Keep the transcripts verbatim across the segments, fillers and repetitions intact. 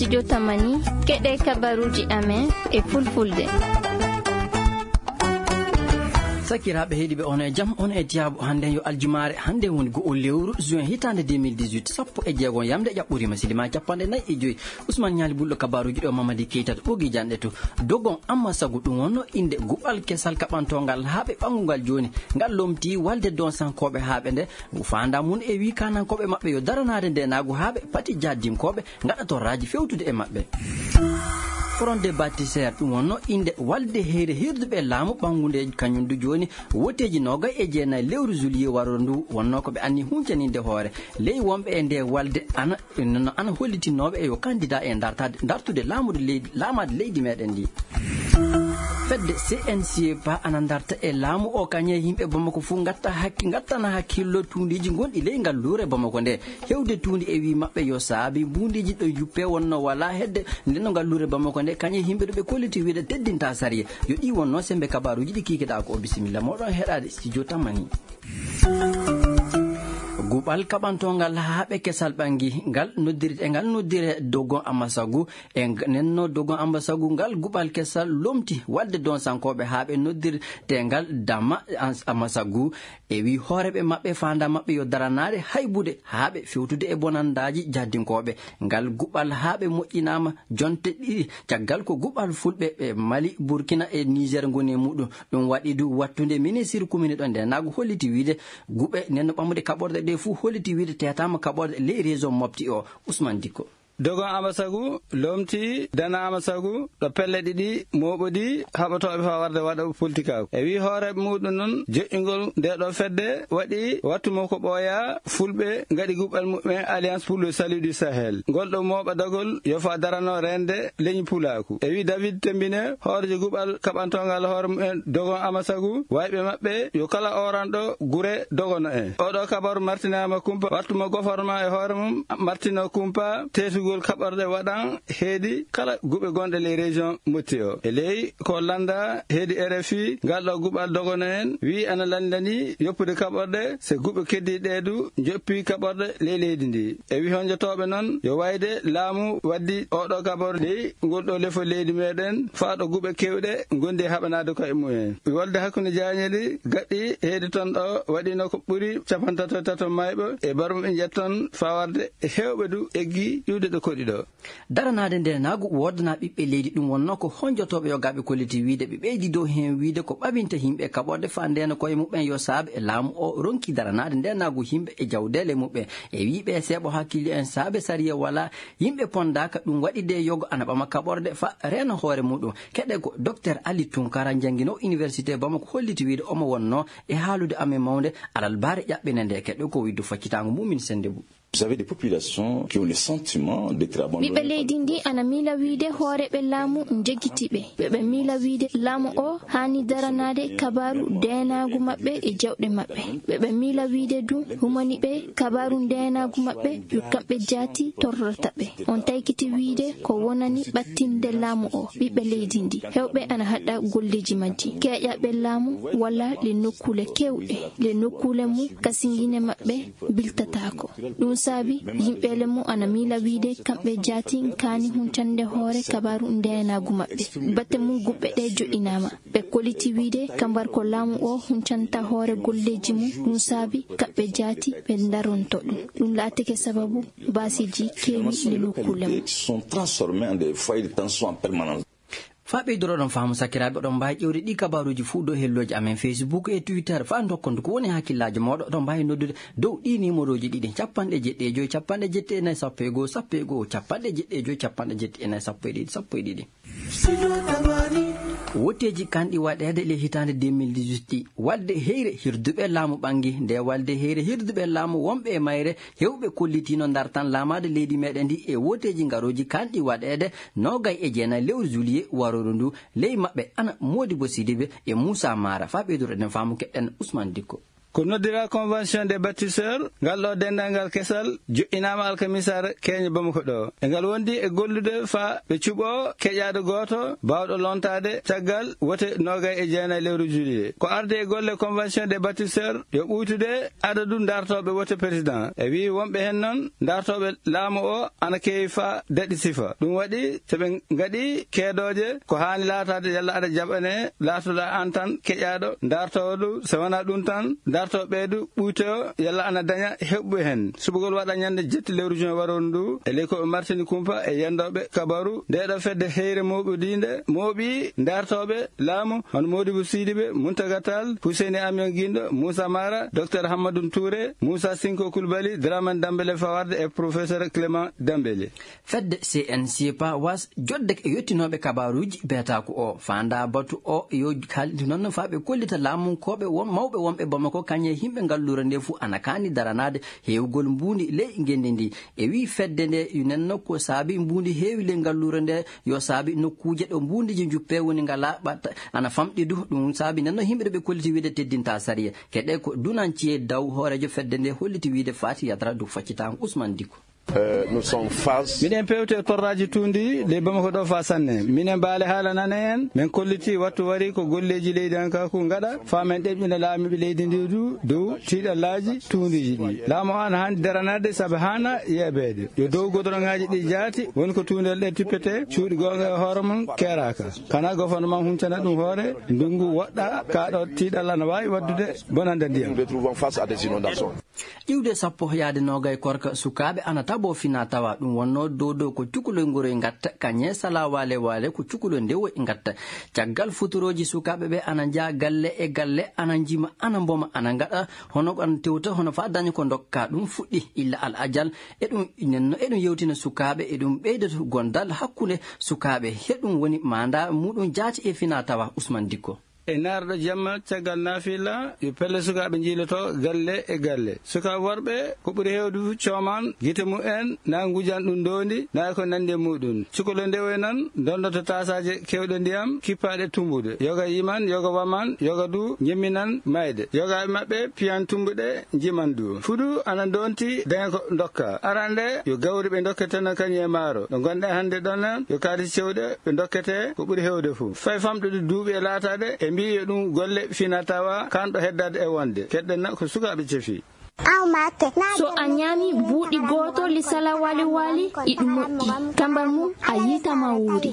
Jotamani, keɗe kabaruji amen e fulfulde. Sakiraaɓe heɗiiɓe, on e jam, on e tiyaabu. Hannde yo aljumaare, hannde woni go'o lewru juin hitaande deux mille dix-huit, sappo e jeego yamde ƴaɓɓoriima, silima capanɗe nayi e joy. Ousmane Ñaali Bulɗo, kabaruji ɗo Mamadi Keita to ɓogi janɗe to. Dogon Amma Sagu, ɗum wonno innde guɓal kesal kaɓantongal haaɓe ɓanngungal jooni. Ngal lomti walde donsankooɓe haaɓe nde, faanda mum e wii kaanankooɓe maɓɓe yo daranaade ndeenaagu haaɓe pati jaddinkooɓe ngaɗa torraaji fewtude e maɓɓe. Front des Bâtisseurs, ɗum wonno innde walde heyre hirduɓe laamu ɓanngunde kañum du jooni, wooteeji noogay e jeenayi lewru juillet waroo ndu, wonno ko ɓe anni huncaninde hoore ley wonɓe e nde walde ana, no ana hollitinooɓe e yo candidat e dartade, dartude laamude leydi, laamaade leydi meɗen ndi. Fedde C N C P ana darta e laamu o, kañe yimɓe Bamako fof ngatta hakki-, ngattana hakkillo tuundiiji gonɗi ley ngal luure Bamako nde. Hewde tuundi e wii maɓɓe yo saabi mbuundiiji ɗo juppe wonno wala hedde nde no ngal luure Bamako nde, kañe yimɓe ɗo ɓe kolliti wiide teddinta sariya. Yo ɗi wonno sembe kabaruji ɗi kikiɗa ko o. Bisimilla moɗon heɗade studio Tamani. Guɓal kaɓantongal haaɓe kesal ɓangi ngal noddiri, e ngal noddire Dogon Amasagu. E ng-, nenno Dogon Amasagu ngal guɓal kesal lomti walde donsankooɓe haaɓe noddirte ngal Dama Ans-, Amasagu. E wi hooreɓe maɓɓe faanda maɓɓe yo daranaade haybude haaɓe fewtude e bonandaaji jahdinkooɓe. Ngal guɓal haaɓe moƴƴinaama jonte ɗiɗi caggal ko guɓal fulɓe ɓe Mali, Burkina e Niger ngoni e muɗum. Ɗum waɗi du wattunde ministre kumini ɗo nde naagu holliti wiide guɓe nenno ɓammude kaɓorɗe ɗe fuu holliti wiide teetaama kaɓorɗe ley région Mopti o. Ousmane Dikko. Dogon Amasagu lomti Dana Amasagu ɗo pelle ɗiɗi mooɓodi haɓotooɓe faa warde waɗa politikaaku. E wi hooreeɓe muɗum noon, joƴƴingol nde ɗo fedde waɗi wattu mo ko ɓooya fulɓe ngaɗi guɓɓal muɓɓen Alliance pour le Salut du Sahel. Ngol ɗo mooɓa dagol yo faa darano reende leñi pulaaku. E wi David Tembine, hoorejo guɓal kaɓantongal hoore mumen Dogon Amasagu, wayɓe maɓɓe yo kala oranɗo gure dogono en. Oɗo kabaru martinaama kumpa, wattu mo goforma e hoore mum martino kumpa, teetugol kaɓorɗe waɗan heedi kala guɓe gonɗe ley région Mopti o. E ley ko lannda heedi R F I, ngal ɗo guɓal dogono en wi ana lanndani yoppude kaɓorɗe, se guɓe keddiiɗe du njoppi kaɓorɗe ley leydi ndi. E wi honjotooɓe noon yo wayde laamu waddi oɗo kaɓorɗe ley ngol ɗo lefol leydi meɗen, faa ɗo guɓe kewɗe ngondi e haɓanaade koye mumen. Wolde hakkunde jaañeli gaɗɗi heedi toon ɗo waɗino ko ɓuri capanɗe tato e tato mayɓe e barmuɓe njetton faa warde e heewɓe du eggi iwde ɗo koɗi ɗo. Daranaade nde naagu woodana ɓiɓɓe leydi ɗum wonno ko honjotooɓe yogaaɓe kolliti wiide ɓe ɓeydi dow heen wiide ko ɓaɓinta yimɓe kaɓorde faa ndeena koye muɓɓen yo saabe e laamu o ronki daranaade nde naagu yimɓe e jawdeele muɓɓen. E wiiɓe seeɓo hakkille en saabe sariya wala yimɓe pondaaka ɗum waɗi de yogo ana ɓama kaɓorde faa reena hoore muɗum. Keɗe ko Docteur Ali Tunkara janngino Université Bamako holliti wiide omo wonno e haalude amen mawnde alal baare ƴaɓɓine nde keɗe ko widdu faccitaango mumin sende bu. Vous avez des populations qui ont le sentiment d'être abandonnées. Ɓiɓɓe leydi ndi ana miila wiide hooreɓe laamu njegiti ɓe. Ɓeɓe miila wiide laamu o haani daranaade kabaaru deenaagu maɓɓe e jawɗe maɓɓe. Ɓeɓe miila wiide du humani ɓe kabaaru deenaagu maɓɓe yo kamɓe jaati torrata ɓe. On taykiti wiide ko wonani ɓattinde laamu o ɓiɓɓe leydi ndi. Hewɓe ana haɗa golleji majji. Keeƴaɓe laamu walla le nokkuule kewɗe. Le nokkuule mum kasingine maɓɓe biltataako. Ɗum saabi yimɓeele mum ana miila wiide kamɓe jaati kaani huncande hoore kabaaru ndeenaagu maɓɓe. Batte mum guɓɓe ɗe joɗɗinaama. Ɓe koliti wiide kambar ko laamu o huncanta hoore golleeji mum. Ɗum saabi kamɓe jaati ɓe ndaronto ɗum. Ɗum laatike sababu baasiiji keewi e nokkuule mum. Sont transformés en des foyers de tension en permanence. Faa ɓeydoroɗon faamu sakiraaɓe, oɗon mbaawi ƴeewde ɗi kabaaruuji fuu dow hellooji amen Facebook e Twitter. Faa ndokkondu ko woni hakkillaaji mooɗon, oɗon mbaawi noddude dow ɗi nimorooji ɗiɗi, capanɗe jeɗɗi e joy, capanɗe jeɗɗi e nayi, sappo e goo, sappo e goo, capanɗe jeɗɗi e joy, capanɗe jeɗɗi e nayi, sappo e ɗiɗi, sappo e ɗiɗi. Wooteeji kanɗi waɗeede le hitaande deux mille dix-huit ɗi, walde heyre hirduɓe laamu ɓangi. Nde walde heyre hirduɓe laamu wonɓe e mayre, heewɓe kollitiino ndartan laamaade leydi meɗen ndi e wooteeji ngarooji kanɗi waɗeede noogay e jeenayi lewru juillet warooru ndu. Ley maɓɓe ana Modibo Sidibe e Moussa Mara. Faa ɓeydoro eɗen faamu keɗɗen Ousmane Dikko. Ko noddira Convention des Bâtisseurs, ngal ɗo denndaangal kesal joɗɗinaama alkamisaare keeñe Bamako ɗo. E ngal wondi e gollude faa ɓe cuɓoo keƴaaɗo gooto baawɗo lontaade caggal wote noogay e jeenayi lewru juillet. Ko arde e golle Convention des Bâtisseurs yo ɓuytude adadu dartooɓe wote président. E wii wonɓe heen noon dartooɓe laamu o ana keewi faa daɗi sifa. Ɗum waɗi so ɓe ngaɗi keedooje ko haani laataade yalla aɗa jaɓanee laatoɗaa aan tan keƴaaɗo dartoowo ɗum. So wonaa ɗum tan dartooɓe ɓee du ɓuytoyo yalla ana daña heɓɓe heen. Suɓugol waɗa ñande jetti lewru juin waroru ndu e ley ko ɓe martini kumpa e yendooɓe kabaru. Ndee ɗo fedde heyre mooɓodiinde mooɓi dartooɓe laamu hono Modibo Sidibe, Muntaga Tall, Huseyni Amion Gindo, Moussa Mara, Docteur Hammadou Touré, Moussa Sinko Koulibaly, Dramane Dambélé Fawarde e Professeur Clément Dambélé. Fedde C N C P A was joɗde e yottinooɓe kabaaruuji beetaaku o faandaa batu o yo haaldi noon faa ɓe kollita laamunkooɓe won mawɓe wonɓe Bamako kañe yimɓe ngalluure nde fuu ana kaani daranaade heewgol mbuundi ley ngenndi ndi. E wii fedde nde nenno ko saabi mbuundi heewi ley ngalluure nde yo saabi nokkuuje ɗo mbuundiji njuppee woni ngalaa ɓatta ana famɗi du. Ɗum saabi nenno yimɓe ɗo ɓe kolliti wiide teddinta sariya. Keɗe ko dunanciye daw hooreejo fedde nde holliti wiide faati yadra du faccitaango Ousmane Dicko. Miɗen pewte e torraaji tuundi ley Bamako ɗo faa sanne. Minen Baale Haala nane en, men kolliti wattu wari ko golleeji leydi an ka ku ngaɗa faa men ɗeɓɓina laamiiɓe leydi ndi du dow tiiɗallaaji tuundiiji ɗi. Laamu o ana haani daranaade sabu haana yeebeede. Yo dow godoroŋaaji ɗi jaati woni ko tuundel ɗe tippete cuuɗi goonga e hoore mum keeraaka. Kana gouvernement huncana ɗum hoore, ndunngu woɗɗa, kaa ɗo tiiɗal ana waawi waɗdude bonande ndiyam. Iwde sappo yaade noogay korka sukaaɓe ana taboo fina tawa ɗum wonnoo dow dow ko cukalel ngoroy ngatta kañe sala waale waale ko cukalel ndewoy ngatta. Caggal futurooji sukaaɓe ɓe ana njaa galle e galle ana njima ana mboma ana ngaɗa hono ko ana tewta hono faa daña ko ndokka ɗum fuɗɗi illa al ajal. E ɗum nenno e ɗum yewtina sukaaɓe e ɗum ɓeyda gondal hakkunde sukaaɓe he ɗum woni maanda muɗum jaati e fina tawa Ousmane Dicko. E naarɗo jamma caggal naafila yo pelle sukaaɓe njiiloto galle e galle. Sukaaɓe worɓe ko ɓuri heewde fof cooman gite mumen na ngujan ɗum ndoondi na e ko nanndi e muɗum. Cukalel ndewoy nan ndondoto taasaaje keewɗe ndiyam kippaaɗe tumbude. Yoga yiman, yoga waman, yoga du ñemminan mayde. Yogaaɓe maɓɓe piyan tumbuɗe njiman du. Fuɗu ana ndonti daña ko ndokka. Arande yo gawri ɓe ndokketeno kañum e maaro. Ɗo ngonɗen hannde ɗon nan yo kaari cewɗe ɓe ndokkete ko ɓuri heewde fof. Fay famɗude duuɓi e laataade e mbiyi yo ɗum golle fina tawa kanɗo heddaade e wonde. Keɗɗen na ko sukaaɓe cefi. So a ñaami buuɗi gooto li sala wali wali iɗu moƴƴi. Tambar mum a yiita ma wuuri.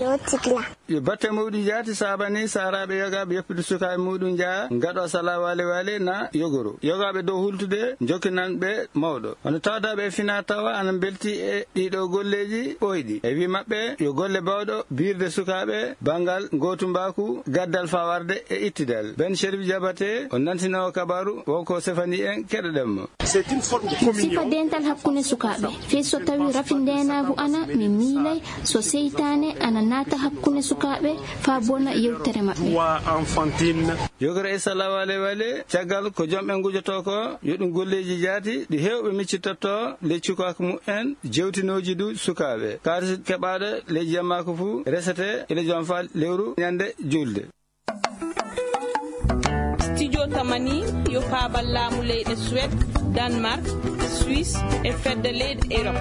Yo batte mawɗi jaati saabani saaraaɓe yogaaɓe yoppude sukaaɓe muɗum njaha ngaɗo sala wali wali na yogoro. Yogaaɓe dow hultude jokkinan ɓe mawɗo. Hono tawdaaɓe e fina tawa ana mbelti e ɗiɗo golleeji ɓooyɗi. E wi maɓɓe yo golle bawɗo biirde sukaaɓe bangal gootumbaku gaddal fawarde e ittidal. Ben Sherif Jabate o nantinowo kabaru wonko sefani en keɗoɗen mo. Ko sifa dental hakkunde sukaaɓe. Fii so tawii rafi ndeenaagu ana mi miilay so seytaane ana naata hakkunde sukaaɓe faa bona yewtere maɓɓe. Yogoro e sala wale wale caggal ko jom ɓe ngujotoo ko yo ɗum golleeji jaati ɗi heewɓe miccitotto ley cukaaku mumen jewtinooji du sukaaɓe. Kaalis keɓaaɗo ley jemmaaku fuu resete ila jom faa lewru ñande julde. Studio Tamani yo paabal laamu leyɗe Suwed, Danemark, Suisse e fedde leyɗe Erop.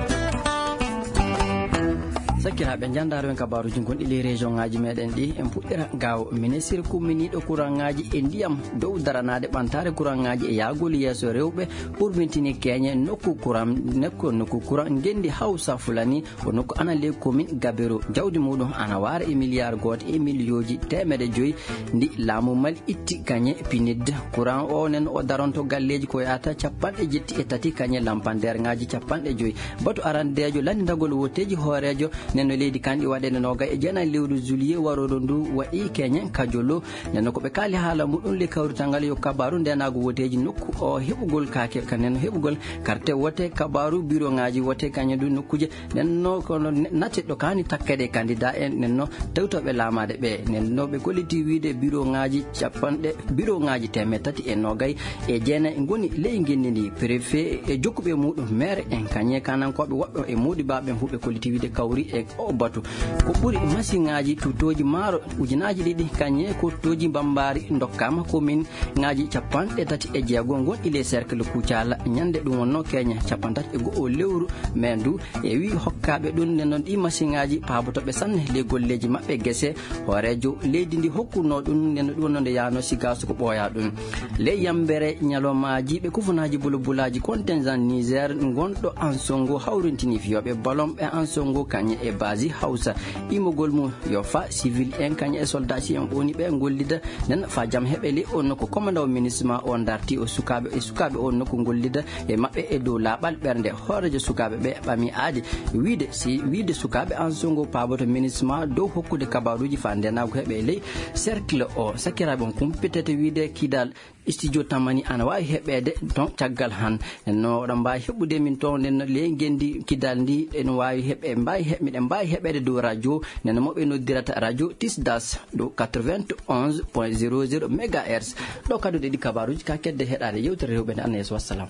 Sakkiraaɓe, njanndaaro en kabaaruuji gonɗi ley région ŋaaji meɗen ɗi. En puɗɗira gaawo. Ministir kumminiiɗo kuraŋŋaaji e ndiyam dow daranaade ɓantaare kuraŋŋaaji e yahgol yeeso rewɓe urmintini keeñe nokku kuraŋ nokku nokku kuraŋ ngenndi Hawsa Fulani. Ko nokku ana ley komin Gaberu. Jawdi muɗum ana waara e miliyaar gooto e miliyooji teemedde joyi ndi laamu Mali itti kañe pinid. Kuraŋ o nen o daronto galleeji ko yahata capanɗe jetti e tati kañe lampandeerŋaaji capanɗe joyi. Batu arandeejo lanndagol wotteeji hooreejo nen no leydi kan ɗi waɗeede noogay e jeenayi lewru juillet warooɗo ndu waɗi keñe kajolo. Nden ko ɓe kaali haala muɗum le kawrital ngal yo kabaaru ndeenaagu woteeji nokku o heɓugol kaake kanen heɓugol karte wote kabaaru biroŋaaji wote kañe du nokkuuje. Nden no kono nate ɗo kaani takkede kandida en nden no tewtoɓe laamaade ɓe nden no ɓe kolliti wiide biroŋaaji capanɗe biroŋaaji teemeɗe tati e noogay e jeenayi ngoni ley ngenndi ndi préfet e jokkuɓe muɗum maire en kañe kanankooɓe woɓɓe e muɗibaaɓe huɓe kolliti wiide kawri e O batu ko ɓuri masiŋaaji tutooji maaro ujunaaji ɗiɗi kañe ko tutooji mbambaari ndokkaama komin ŋaaji capanɗe tati e jeego ngonɗi les cercle kucala ñande ɗum wonno keña capantati e go'o lewru. Men du e wi hokkaaɓe ɗum nden noon ɗi masiŋaaji paabotooɓe sanne ley golleeji maɓɓe gese. Hooreejo leydi ndi hokkunoo ɗum nden no ɗum wonno nde yaano sigaaso ko ɓooyaa ɗum. Ley yambere ñalawmaaji ɓe kufunaaji bulobulaaji contingent Niger ngonɗo Ansongo hawrintini fiyooɓe balon ɓe Ansongo kañe e basi Hausa. Imogol mum yo fa civil en kañe e soldat si en ɓoni ɓe gollida nen fa jam heɓe ley on nokku. Commandant o minisma o darti o sukaaɓe e sukaaɓe on nokku gollida e maɓɓe e dow laaɓal ɓernde. Hooreejo sukaaɓe ɓe ɓami aadi wiide si wiide sukaaɓe Ansongo paaboto minisma dow hokkude kabaruuji fa ndenaagu heɓe ley cercle o. Sakiraaɓe on kumpitete wiide Kidal studio Tamani ana waawi heɓeede ton caggal han. No oɗon mbaawi heɓude min ton nden ley ngenndi Kidal ndi ene waawi heɓe mbaawi heɓ miɗen mbaawi heɓeede dow radio nden mo ɓe noddirata radio Tisdas ɗo quatre-vingt-onze point zéro zéro mégahertz. Ɗo kadi ɗiɗi kabaruuji ka kedde heɗaade yewtere rewɓe nde Anna Yeeso wassalam.